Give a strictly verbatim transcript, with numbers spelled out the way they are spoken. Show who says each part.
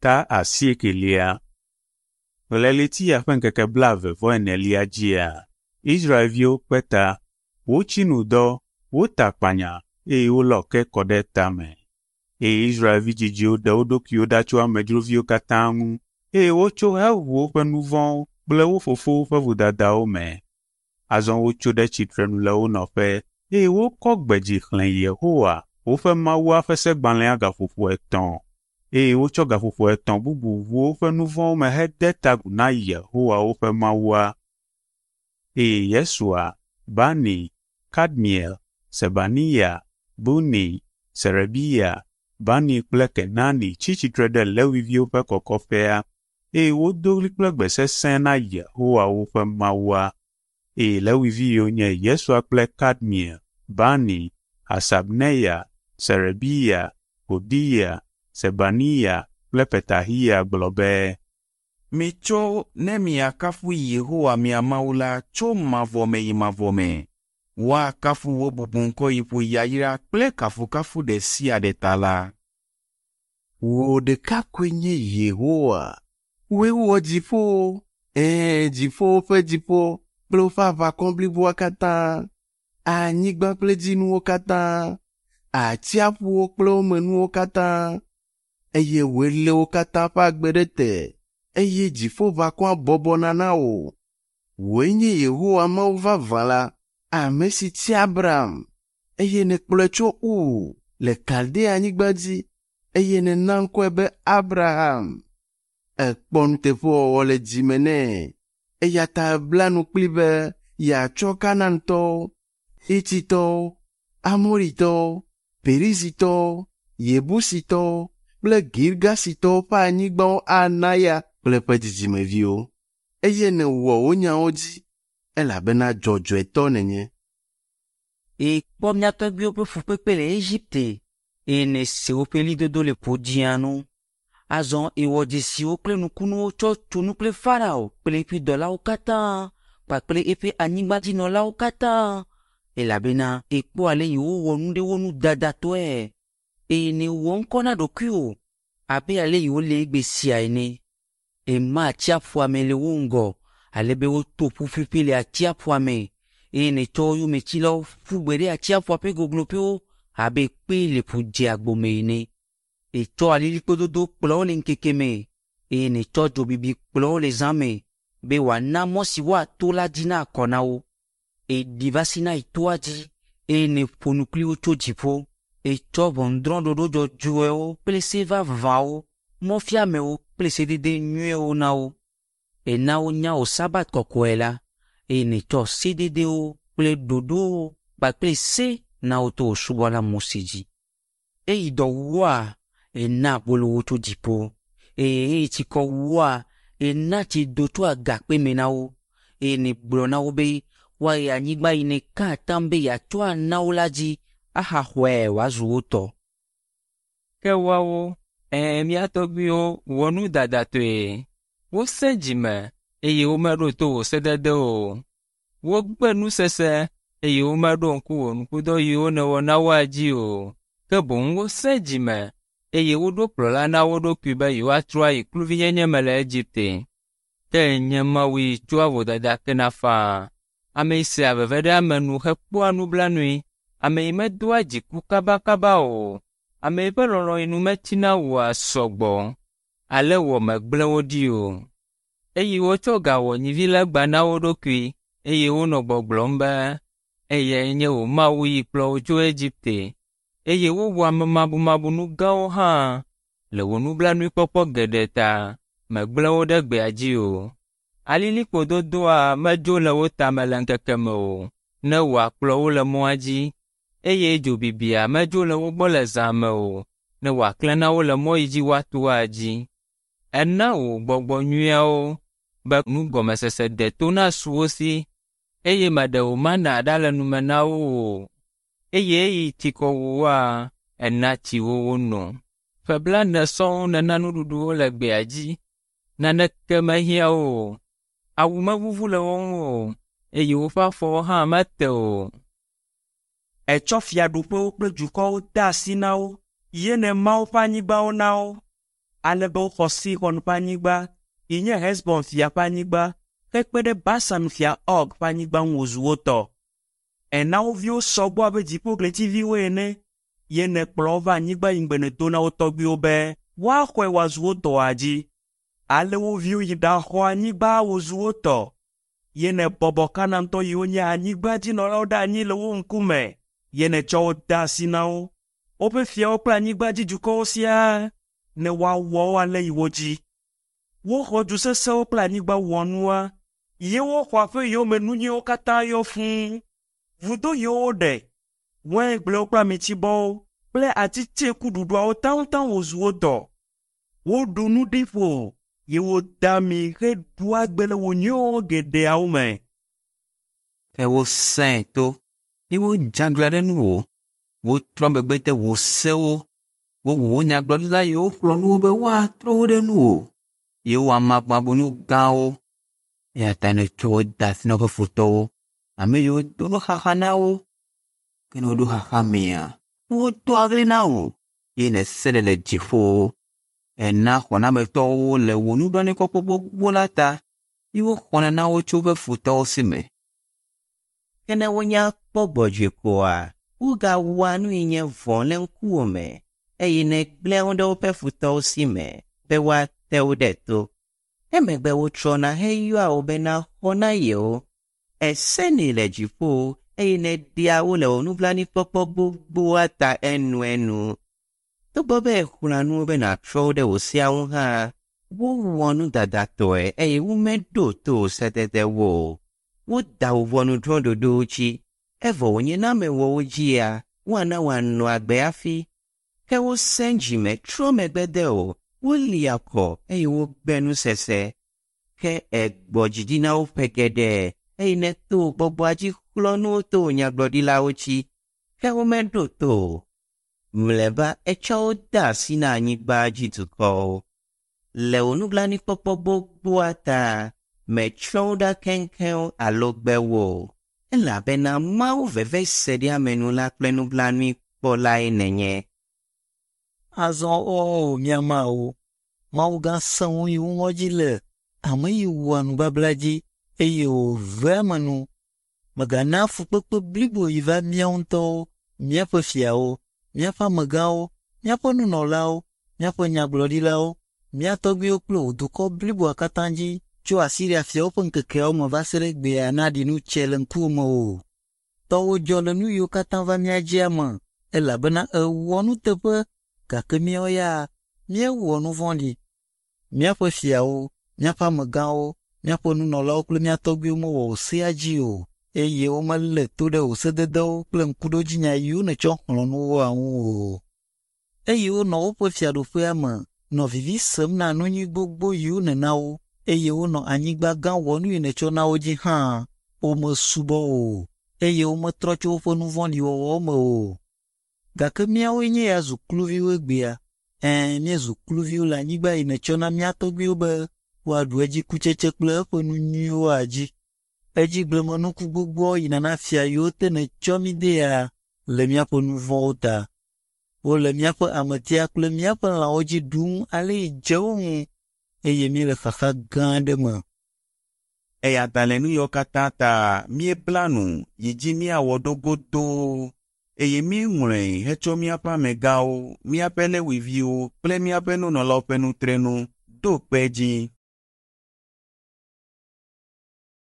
Speaker 1: Ta asiekelia. Le ɣleti ya ƒe ŋkeke blaeve vɔ enelia dzia, Israelviwo kpe ta, wotsi nu dɔ, wota akpanya eye wolɔ ke kɔ ɖe tame. Eye Israelvi dzidziwo ɖe wo ɖokuiwo ɖa tso amedzroviwo katã ŋu eye wotso heʋu woƒe nu vɔ̃wo kple wo fofowo ƒe vodadawo me. Azɔ wotso ɖe tsitrenu le wo nɔƒe eye wokɔ gbe dzi xlẽ Yehowa, woƒe Mawua ƒe segbalẽa gaƒoƒo etɔ̃ eye wotsɔ gaƒoƒo etɔ̃ bubu ʋu woƒe nu vɔ̃wo me hede ta agu na Yehowa woƒe Mawua. Eye Yesua, Bani, Kadmiel, Sebaniya, Buni, Serebiya, Bani kple Kenani tsi tsitre ɖe Lewiviwo ƒe kɔkɔƒea eye wodo ɣli kple gbe sesẽ na Yehowa woƒe Mawua. Eye Lewivi yiwo nye Yesua kple Kadmiel, Bani, Hasabneya, Serebiya, Hodiya, Sebaniya kple Petahiya gblɔ be,
Speaker 2: Mitso ne miakafu Yehowa mia Mawu la tso mavɔ me yi mavɔ me. Woakafu wò bubuŋkɔ yi ƒo yayra kple kafukafu ɖe sia ɖe ta la.
Speaker 3: Wò ɖeka koe nye Yehowa. Wòe wɔ dziƒowo, ɛ̃, dziƒowo ƒe dziƒo kple woƒe aʋakɔ bliboa katã, anyigba kple dzinuwo katã, atsiaƒuwo kple wo me nuwo katã, eye wòe lé wo katã ƒe agbe ɖe te, eye dziƒoʋakɔa bɔbɔna na wò. Wòe nye Yehowa Mawu vavã la, ame si tia Abraham, eye nèkplɔe tso Ur le Kaldea-nyigba dzi, eye nèna ŋkɔe be Abraham. Èkpɔ nuteƒewɔwɔ le dzime nɛ, eya ta èbla nu kplii be yeatsɔ Kanaantɔwo, Hititɔwo, Amoritɔwo, Perizitɔwo, Yebusitɔwo kple Girgasitɔwo ƒe anyigbawo ana ya kple eƒe dzidzimeviwo. Eye nèwɔ wò nyawo dzi, elabena dzɔdzɔetɔ nènye.
Speaker 4: Èkpɔ mía tɔgbuiwo ƒe fukpekpe le Egipte eye nèse woƒe ɣlidodo le Ƒudzĩa nu. Azɔ èwɔ dzesiwo kple nukunuwo tsɔ tso nu kple Farao kple eƒe dɔlawo katã kpakple eƒe anyigbadzinɔlawo katã elabena èkpɔ ale yi wowɔ nu ɖe wo ŋu dadatɔe eye nèwɔ ŋkɔ na ɖokuiwò abe ale yi wole egbe sia ene. Èma atsiaƒua me le wo ŋgɔ ale be woto ƒu ƒuƒui le atsiaƒua me eye nètsɔ wo yometsilawo ƒu gbe ɖe atsiaƒua ƒe gogloƒewo abe kpe le ƒu dzeagbo me ene. Ètsɔ alilikpo dodo kplɔ wo le ŋkeke me eye nètsɔ dzobibi kplɔ wo le zã me be wòana mɔ si woato la dzi nakɔ na wo. Èɖi va Sinai toa dzi eye nèƒo nu kpli wo tso dziƒo. Ètsɔ ʋɔnudrɔ̃ɖoɖo dzɔdzɔewo kple se vavãwo, mɔfiamewo kple sedede nyuiwo na wo. Èna wonya wò Sabat kɔkɔe la eye nètsɔ sededewo kple ɖoɖowo kpakple se na wo to wò subɔla Mose dzi. Eyi dɔ wu woa, èna abolo wo tso dziƒo eye eyi tsikɔ wu woa, èna tsi do tso agakpe me na wo eye nègblɔ na wo be woayi anyigba yi nèka atam be yeatsɔ ana wo la dzi ahaxɔe wòazu wo tɔ.
Speaker 5: Ke woawo, ɛ̃, mía tɔgbuiwo wɔ nu dadatɔe. Wosẽ dzime eye womeɖo to wò sededewo o. Wogbe nusese eye womeɖo ŋku wò nukudɔ yiwo nèwɔ na woa dzi o. Ke boŋ wosẽ dzime eye woɖo kplɔla na wo ɖokui be yewoatrɔ ayi kluvinyenye me le Egipte. Ke nye Mawu yi tsɔa vodada kena faa. Ame yi sea veve ɖe ame nu hekpɔa nublanui. Ame yi medoa dziku kabakaba o. Ame yi ƒe lɔlɔ̃ yi nu metsina oa sɔgbɔ. Ale wɔ megblẽ wo ɖi o. Eye wotsɔ ga wɔ nyivilegba na wo ɖokui eye wonɔ gbɔgblɔm be, eyae nye wò Mawu yi kplɔ wò tso Egipte. Eye wowɔ amemabumabunu gãwo hã le wò nublanuikpɔkpɔ geɖe ta megblẽ wo ɖe gbea dzi o. Alilikpo dodoa medzo le wo tame le ŋkeke me o, ne wòakplɔ wo le mɔa dzi eye dzobibia medzo le wo gbɔ le zã me o, ne wòaklẽ na wo le mɔ yi dzi woatoa dzi. Ena wò gbɔgbɔ nyuiawo be nugɔmesese deto nasu wo si eye meɖe wò mana ɖa le nume na wo o. Eye eyi tsikɔ wu woa, ena tsi wo wono. Ƒe blaene sɔŋ nèna nuɖuɖu wo le gbea dzi. Naneke mehiã wo o. Awu mevuvu le wo ŋu o eye woƒe afɔwo hã mete o.
Speaker 6: Ètsɔ fiaɖuƒewo kple dukɔwo de asi na wo ye nèma woƒe anyigbawo na wo. Ale be woxɔ Sixɔn ƒe anyigba, yi nye Hesbon fia ƒe anyigba, hekpe ɖe Basan fia Ɔg ƒe anyigba ŋu wòzu wo tɔ. Èna wo viwo sɔ gbɔ abe dziƒoɣletiviwo ene, ye nèkplɔ wo va anyigba yi ŋugbe nèdo na wo tɔgbuiwo be woaxɔe wòazu wo tɔa dzi. Ale wo viwo yi ɖaxɔ anyigba wòzu wo tɔ. Ye nèbɔbɔ Kanaantɔ yiwo nye anyigbadzinɔlawo ɖe anyi le wo ŋkume, ye nètsɔ wo de asi na wo, woƒe fiawo kple anyigbadzidukɔwo siaa, ne woawɔ wo ale yi wo dzi. Woxɔ du sesẽwo kple anyigba wɔnua, ye woxɔ aƒe yiwo me nu nyuiwo katã yɔ fũu. Vudo yiwo woɖe, waingblewo kple amitibɔwo kple ati tseku ɖuɖuawo taŋtaŋ wòzu wo tɔ. Woɖu nu ɖi ƒo ye woda ami heɖu agbe le wò nyuiwo geɖeawo me.
Speaker 7: Ke wosẽ to, eye wodze aglã ɖe nuwò. Wotrɔ megbe de wò sewo. Wowu wò nyagblɔɖila yiwo xlɔ̃ nu wo be woatrɔ wo ɖe nuwò, eye woamagbagbo nu gãwo. Eya ta nètsɔ wo de asi na woƒe futɔwo, ame yiwo do nuxaxa na wo. Ke ne woɖo xaxa mea, wodoa ɣli na wò, eye nèsenɛ le dziƒowo. Èna xɔnametɔwo le wò nublanuikpɔkpɔ gbogbo la ta, eye woxɔna na wo tso woƒe futɔwo si me.
Speaker 8: Ke ne wonya kpɔ gbɔdzɔe koa, wogawɔa nu yi nye vɔ̃ le ŋkuwò me, eye nègblẽa wo ɖe woƒe futɔwo si me be woate wo ɖe to. Emegbe wotrɔna heyɔa wò be naxɔ na yewo. Èsenɛ le dziƒo eye nèɖea wo le wò nublanuikpɔkpɔ gbogboa ta enuenu. Togbɔ be èxlɔ̃a nu wo be nàtrɔ wo ɖe wò sea ŋu hã, wowɔ nu dadatɔe eye womeɖo to wò sededewo o. Woda wò ʋɔnudrɔ̃ɖoɖowo dzi, evɔ wònye ne ame wɔ wo dzia, woana wòanɔ agbe hafi. Ke wosẽ dzime trɔ megbe de wò, woli akɔ eye wogbe nusese. Ke ègbɔ dzi ɖi na wo ƒe geɖe eye nèto wò gbɔgbɔa dzi xlɔ̃ nu wo to wò nyagblɔɖilawo dzi. Ke womeɖo to o. Mlɔeba ètsɔ wo de asi na anyigba dzi dukɔwo. Le wò nublanuikpɔkpɔ gbogboa ta, mètsrɔ̃ wo ɖa keŋkeŋ alo gbe wo o, elabena Mawu veveseɖeamenula kple nublanuikpɔlae nènye.
Speaker 9: Azɔ o mía Mawu, Mawu gã sẽŋu yi ŋu ŋɔdzi le, ame yi wɔa nubabla dzi eye wòvea ame nu. Mègana fukpekpe blibo yi va míawo ŋutɔwo, míaƒe fiawo, míaƒe amegãwo, míaƒe nunɔlawo, míaƒe nyagblɔɖilawo, mía tɔgbuiwo kple wò dukɔ bliboa katã dzi tso Asiria fiawo ƒe ŋkekeawo me va se ɖe egbea naɖi nu tsɛ le ŋkuwò me o. Tɔwò dzɔ le nu yiwo katã va mía dzia me, elabena èwɔ nuteƒe gake míawo ya míewɔ nu vɔ̃ɖi. Míaƒe fiawo, míaƒe amegãwo, míaƒe nunɔlawo kple mía tɔgbuiwo mewɔ wò sea dzi o, eye womelé to ɖe wò sededewo kple ŋkuɖodzinya yiwo nètsɔ xlɔ̃ nu woa ŋu o. Eye wonɔ woƒe fiaɖuƒea me nɔ vivi sem na nu nyui gbogbo yiwo nèna wo, eye wonɔ anyigba gã wɔnu yi nètsɔ na wo dzi hã, womesubɔ o, eye wometrɔ tso woƒe nu vɔ̃ɖi wɔwɔwo me o. Gake míawoe nye ya zu kluviwo egbea. Ɛ̃, míezu kluviwo le anyigba yi nètsɔ na mía tɔgbuiwo be woaɖu edzi kutsetse kple eƒe nu nyuiwoa dzi. Edzi gblemenuku gbogboawo yina na fia yiwo te nètsɔ mí dea le míaƒe nu vɔ̃wo ta. Wole míaƒe ametia kple míaƒe lãwo dzi ɖum ale yi dze wo ŋu eye míele xaxa gã aɖe me.
Speaker 2: Eya ta le nu yiwo katã ta míebla nu yi dzi míawɔ ɖo godoo eye míeŋlɔe hetsɔ míaƒe amegãwo, míaƒe Lewiviwo kple míaƒe nunɔlawo ƒe nutrenu ɖo kpe edzi.